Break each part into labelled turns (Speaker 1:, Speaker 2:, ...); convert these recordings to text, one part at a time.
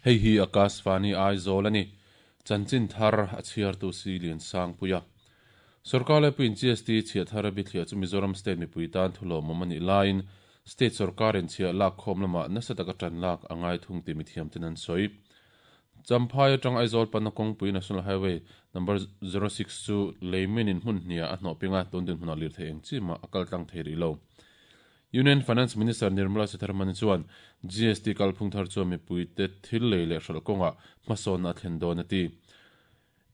Speaker 1: Hei hi Akashvani Aizawl a ni. Chanchin thar a chhiartu si Liansangpuia. Sorkar laipuiin GST chhiah thar a bithliah chu Mizoram state mipui tan thulawmawm a nih laiin state sorkarin chhiah lak khawm lamah nasa taka tan lak a ngai thung tih mithiamten an sawi. Champhai atang Aizawl panna kawngpui National Highway number 06 chu leimin in hmun hniah a hnawh ping a, tun dinhmunah lirthei eng chi mah a kal tlang thei rih lo. Union Finance Minister Nirmala Sitharaman chuan GST kalphung thar chuan mipuite thil lei leh hralh kawngah hmasawnna a thlen dawn a ti.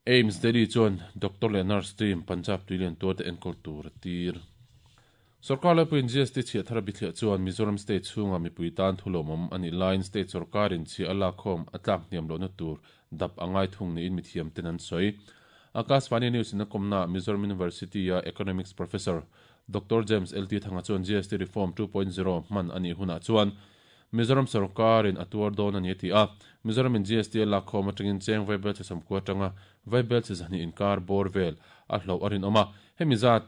Speaker 1: AIIMS Delhi chuan doctor leh nurse team Punjab tuilian tuarte enkawl tur a tir. Sorkar laipuiin GST chhiah thar a bithliah chuan Mizoram state chhunga mipui tan thulawmawm a nih laiin state sorkarin chhiah a lakkhawm a tlak hniam lohna tur dap a ngai thung niin mithiamten an sawi. Akashvani News in a kawmnaah Mizoram University-a Economics Professor Doctor James LT Thanga chuan GST Reform 2.0 hman a nih hunah chuan Mizoram sorkarin a tuar dawn a ni a ti a. Mizoramin GST a lakkhawm atangin cheng vaibel chhe sawmkua atanga vaibel chhe zahnih inkar bawr vel a hloh a rinawm a. Hemi zat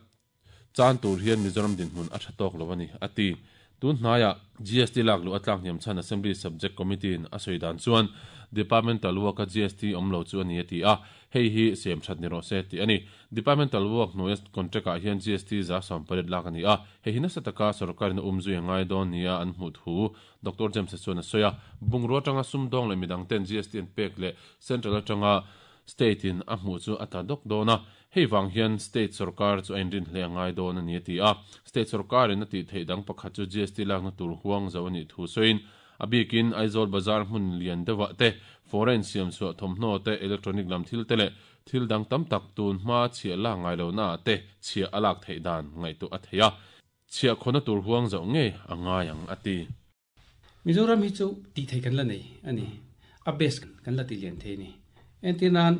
Speaker 1: chan tur hian Mizoram dinhmun a tha tawk lo a ni, a ti. Tun hnaiah GST lak luh a tlak hniam chhan Assembly Subject Committee-in a sawi dan chuan Departmental work-a GST awm lo chu a ni a ti a. Hei hi siam that ni rawh se tih a ni. Departmental work hnuaia contract-ah hian GST 80% lak a ni a, hei hi nasa taka sorkarin a umzui a ngai dawn nia an hmuh thu Doctor James-a chuan a sawi a. Bungrua atanga sumdawng leh midang ten GST an pek leh Central atanga State-in a hmuh chu a tla dawk dawn a, hei vang hian State sorkar chu a inrin hle a ngai dawn a ni a ti a. State sorkarin a tih theih dang pakhat chu GST lakna tur huang zo a nih thu sawiin A bikin Aizawl bazar hmun lian deuhah te, foreign siam chhuah thawmhnaw te, electronic lam thil te leh thil dang tam tak tun hma chhiah lak ngai lohnaah te chhiah a lak theih dan ngaihtuah a thei a, chhiah khawna tur huang zauh ngei a ngai ang, a ti.
Speaker 2: Mizoram hi chu tih theih kan la nei a ni, a best kan la ti lian thei a ni. Entir nan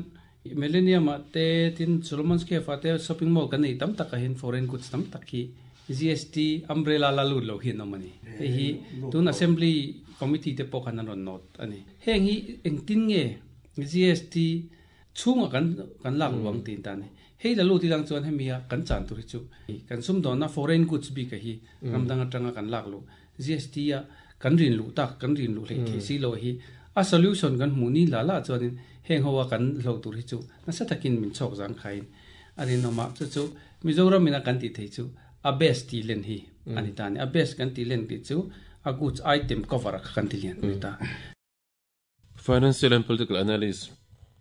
Speaker 2: Millennium ah te tin Solomon's Cave ah te shopping mall kan neih tam tak ah hian foreign goods tam tak hi GST umbrella la lut lo hi an awm a ni. Hei hi tun Assembly committee te pawh khan an rawn note a ni. Heng hi engtin nge GST chhungah kan kan lak luang tiin ta a ni. Hei la lut ilang chuan hemi a kan chan tur hi chu kan sumdawnna foreign goods bik ah hi ram dang atanga kan lak luh GST a kan rin luh tak kan rin luh hleih theih si lo hi a solution kan hmuh ni la la chuanin heng ho a kan hlo tur hi chu nasa takin min chhawk zang khain a rinawm a, chu chu Mizoram in a kan tih theih chu a best tih len hi a ni ta a ni. A best kan tih len tih chu a goods item cover a kha kan ti lian a ni ta.
Speaker 1: Financial and Political Analyst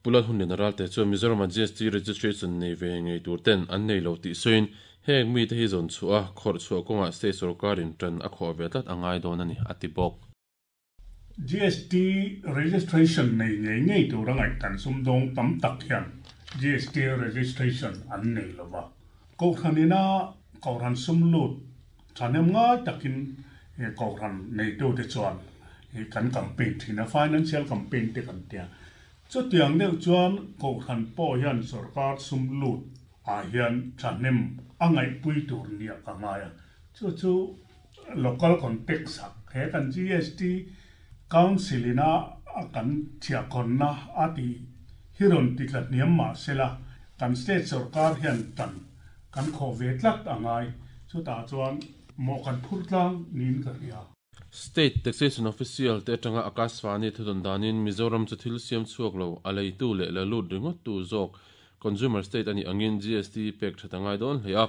Speaker 1: Pu Lalhunliana Ralte chuan Mizoram-a GST registration nei ve ngei tur ten an nei lo tih sawiin heng mite hi zawn chhuah a, khawrh chhuah kawngah state sorkarin tan a khawh ve tlat a ngai dawn a ni, a ti bawk.
Speaker 3: GST registration nei ngei ngei tur a ngaihdan sumdawng tam tak hian GST registration an nei lo va. Kohhran ina kohhran sum lut thahnem ngai takin kohhran neitute chuan kan campaign thin a, financial campaign te kan tia. Chutiang deuh chuan kohhran pawh hian sorkar sum lut ah hian thahnem a ngaihpui tur nia ka ngai a. Chu chu local context ah he kan GST council ina kan chhiahkhawnna a tih hi rawn ti tla hniam mah sela kan state sorkar hian tan kan khawh ve tlat a ngai. Chutah chuan mawh kan phur tlang niin ka hria.
Speaker 1: State Taxation Official te atanga Akashvani thudawn danin Mizoram chu thil siam chhuak lo a leitu leh la lut ringawttu zawk Consumer State a nih angin GST pek that a ngai dawn hle a,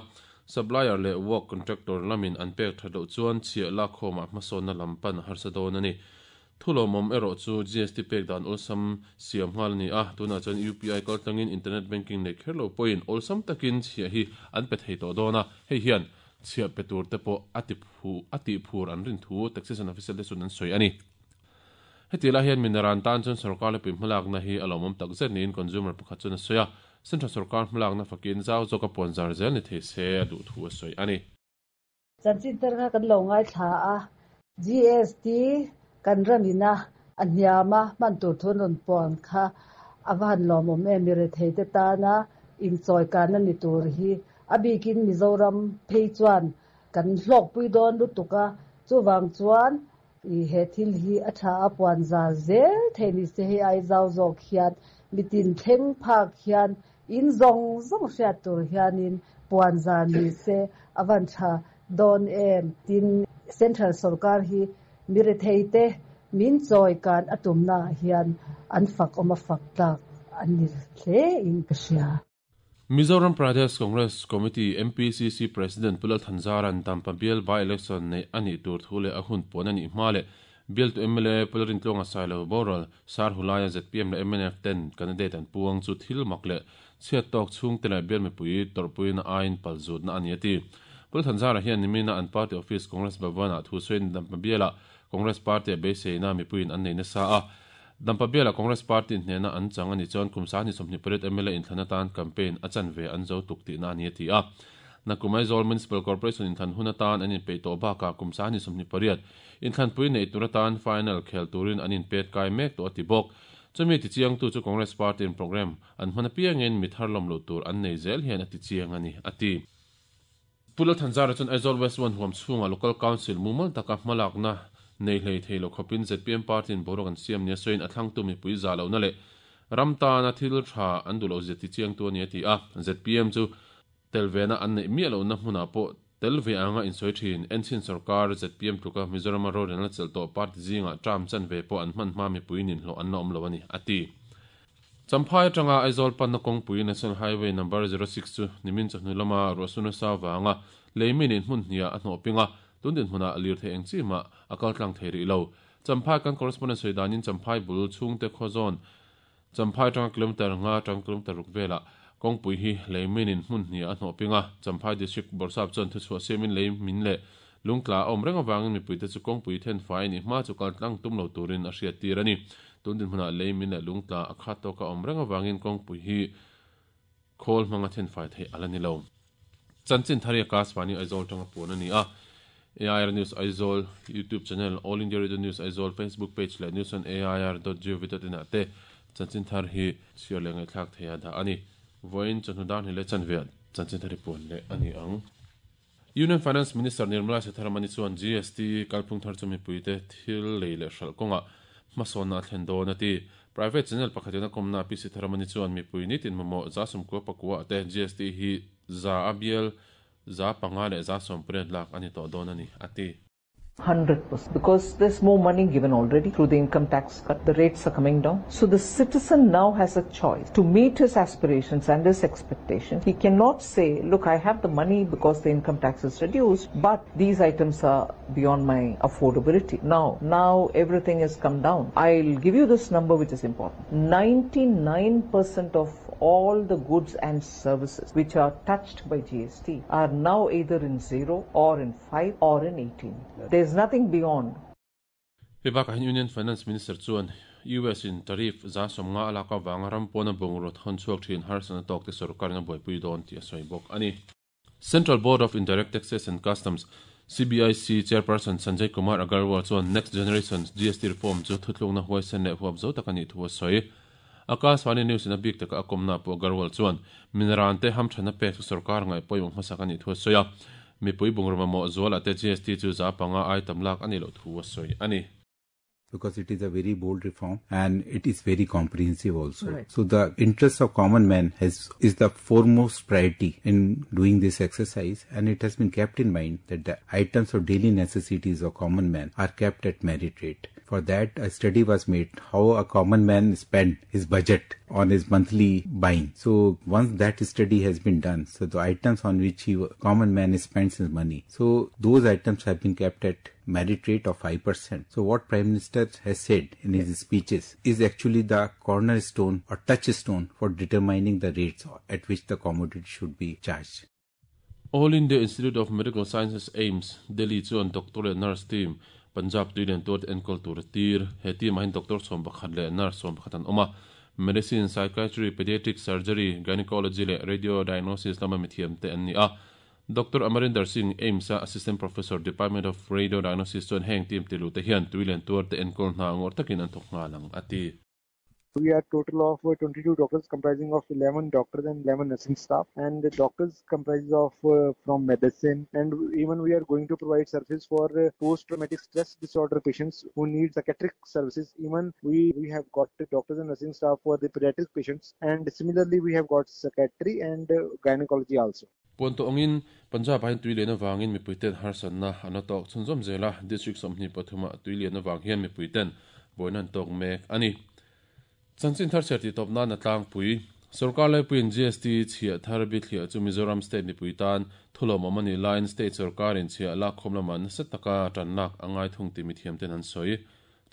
Speaker 1: Supplier leh work contractor lamin an pek that loh chuan chhiah lakkhawmah hmasawnna lam pan a harsa dawn a ni. Thulawmawm erawh chu GST pek dan awlsam siam nghal a ni a, tunah chuan UPI kaltlangin internet banking nei kher lo pawhin awlsam takin chhiah hi an pe thei tawh dawn a, hei hian chhiah pe tur te pawh a ti a tihphur an rin thu Taxation Officer te chuan an sawi a ni. Heti lai hian Minaran tan chuan sorkar lepui hmalakna hi a lawmawm tak zet niin consumer pakhat chuan a sawi a, Central sorkar hmalakna fakin zau zawka puanzar zel ni thei se a duh thu a sawi a ni.
Speaker 4: Chanchin tar kha kan lo ngaithla a, GST kan ramina a hniama hman tur thu an rawn puan kha a va han lawmawm em, mi rethei te tana inchawi kanna ni tur hi a bikin Mizoram phei chuan kan hlawkpui dawn lutuk a, chuvang chuan I he thil hi a tha a puan zar zel thei ni se hei ai zau zawk hian mitin thleng phak hian in zawng zawng hriat tur hianin puan zar ni se a van tha dawn em. Tin, Central sorkar hi mirethei te min chawi kan a tumna ah hian an fak awm a fak tlak an ni hle in ka hria.
Speaker 1: Mizoram Pradesh Congress Committee, MPCC, President Pu Lal Thanzara'n Dampa bial by-election neih a nih tur thu leh a hun puan a nih hma leh bialtu mla Pu Lalrintluanga Sailo boral Sar Hulaia zpm leh mnf ten candidate an puang chu thil mak leh chhiat tawk chhungte leh bial mipui tawrhpuina aiin palzutna a ni a ti. Pu Lal Thanzara hian nimina an party office Congress Bhavan-ah thu sawiin Dampa bialah Congress party-a beiseina mipuiin an nei nasa a, Dampa bialah Congress party hnena an chang a nih chuan kum 28 mla inthlan atan campaign a chanve an zo tluk tihna a ni a ti a. Nakum Aizawl Municipal Corporation inthlan hun atan an inpeih tawh bakah kum 28 inthlanpui neih tur atan final khel turin an inpet kai mek tawh a ti bawk. Chumi tichiangtu chu Congress party in programme an hman apiangin mi thar lawm loh tur an nei zel hian a tichiang a ni a ti. Pu Lalthanzara chuan Aizawl West One huam chhungah Local Council mumal taka hmalakna nei hlei thei lo khawpin zpm party-in boruak an siam nia sawiin a thlangtu mipui zah lohna leh ram tana thil tha an duh loh zia tichiangtu a ni a ti a. Zpm chu tel vena an neih miah lohna hmunah pawh tel ve anga insawi thin. Enchin sawrkar zpm tluka Mizorama rorelna chelh tawh party zingah term chanve pawh an hman hma mipui ninhlawh an la awm lo a ni a ti. Champhai atanga Aizawl panna kawngpui National Highway Number 06 chu nimin chawhnu lama ruahsur nasa avanga lei mi nen hmun hniah a hnawh ping a, tun dinhmunah lirthei eng chi mah a kal tlang thei rih lo. Champhai kan correspondent sawi danin Champhai bul chhungte khaw zawn Champhai atanga kilometre nga atang kilometre ruk velah kawngpui hi lei mi nen hmun hniah a hnawh ping a, Champhai District Bawrhsap chuan thuchhuah siamin lei min leh lungtla a awm reng avangin mipuite chu kawngpui then fai a nih hma chu kal tlang tum lo turin a hriattir a ni. Tun dinhmunah lei min leh lungtla a khat tawka awm reng avangin kawngpui hi khawl hmanga then fai theih a la ni lo. Chanchin Thari Akashvani Aizawl tanga puan a ni a. AIR News Aizawl YouTube channel, All India Radio News Aizawl Facebook page leh news on air dot gov dot in ah te Chanchin Thar hi chhiar leh ngaihthlak theiha dah a ni. Vawiin chawhnu dar hnih leh chanveah Chanchin Thar hi puan leh a ni ang. Union Finance Minister Nirmala Sitharaman-i chuan GST kalphung thar chu mipuite thil lei leh hralh kawngah hmasawnna a thlen dawn a ti. Private channel pakhatin a kawmna Pi Sitharaman-i chuan mipui nitin mamawh 90% te GST hi za a bial 5% leh 90% lak a ni tawh dawn a ni, a ti.
Speaker 5: 100% because there's more money given already through the income tax cut the rates are coming down so the citizen now has a choice to meet his aspirations and his expectations he cannot say look i have the money because the income tax is reduced but these items are beyond my affordability now now everything has come down i'll give you this number which is important 99% of all the goods and services which are touched by GST are now either in 0 or in 5 or in 18. There's nothing beyond.
Speaker 1: Hei bakah hian Union Finance Minister chuan US in tariff 50% a lak avanga ram pawna bungraw thawn chhuak thin harsatna tawkte sorkarin a buaipui dawn tih a sawi bawk a ni. Central Board of Indirect Taxes and Customs, CBIC, Chairperson Sanjay Kumar Agarwal chuan Next Generation GST Reform chu thutlukna huaisen leh huap zo tak a nih thu a sawi. Akashvani News in a bik taka a kawmna pawh Agarwal chuan mineral te hamthanna pek chu sorkar ngaih pawimawh hmasak a nih thu a sawi a. Mipui bungraw mamawh zualah te GST chu 5% ai tam lak a nih loh thu a sawi a ni.
Speaker 6: Because it is a very bold reform and it is very comprehensive also. Right. So the interest of common man has is the foremost priority in doing this exercise, and it has been kept in mind that the items of daily necessities of common man are kept at merit rate. For that, a study was made how a common man spend his budget on his monthly buying. So once that study has been done, so the items on which he common man spends his money, so those items have been kept at merit rate of 5%. So what Prime Minister has said in his speeches is actually the cornerstone or touchstone for determining the rates at which the commodity should be charged.
Speaker 1: All India Institute of Medical Sciences, AIIMS, Delhi chuan doctor leh nurse team Punjab tui lian tuarte enkawl tur a tir. He team ah hian doctor 11 leh nurse 11 an awm a. Medicine, Psychiatry, Pediatric Surgery, Gynecology leh Radio Diagnosis lama mithiam te an ni a. Doctor Amarinder Singh, AIIMS-a Assistant Professor, Department of Radio Diagnosis chuan heng team tilu te hian tui lian tuarte enkawl hna ngawr takin an thawk nghal ang a ti.
Speaker 7: We are total of 22 doctors comprising of 11 doctors and 11 nursing staff, and the doctors comprise of from medicine, and even we are going to provide services for post-traumatic stress disorder patients who need psychiatric services. Even we have got doctors and nursing staff for the pediatric patients, and similarly we have got psychiatry and gynecology also.
Speaker 1: Puan tawh angin Punjab ah hian tui lian avangin mipui ten harsatna an la tawk chhunzawm zel a, District 23 ah tui lian avang hian mipui ten buaina an tawk mek a ni. Chanchin thar chhiar tih tawp nan a tlangpui. Sorkar laipuiin GST chhiah thar bithliah chu Mizoram State mipui tan thulawmawm a nih laiin State sorkarin chhiah lakkhawm lamah nasa taka tan lak a ngai thung tih mithiam ten an sawi.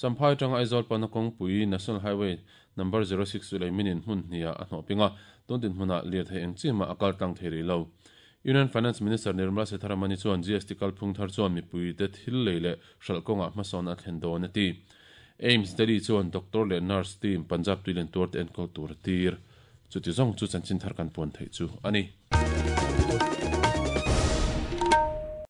Speaker 1: Champhai atanga Aizawl pana kawngpui National Highway Number 06 chu leiminin hmun hniah a hnawh ping a, tun dinhmunah lirthei eng chi mah a kal tlang thei rih lo. Union Finance Minister Nirmala Sitharaman-i chuan GST kalphung thar chuan mipuite thil lei leh hralh kawngah hmasawn a thlen dawn a ti. AIIMS Delhi chuan doctor leh nurse team Punjab tuilen tuarte enkawl tur a tir. Chuti zawng chu chanchin thar kan puan theih chu a ni.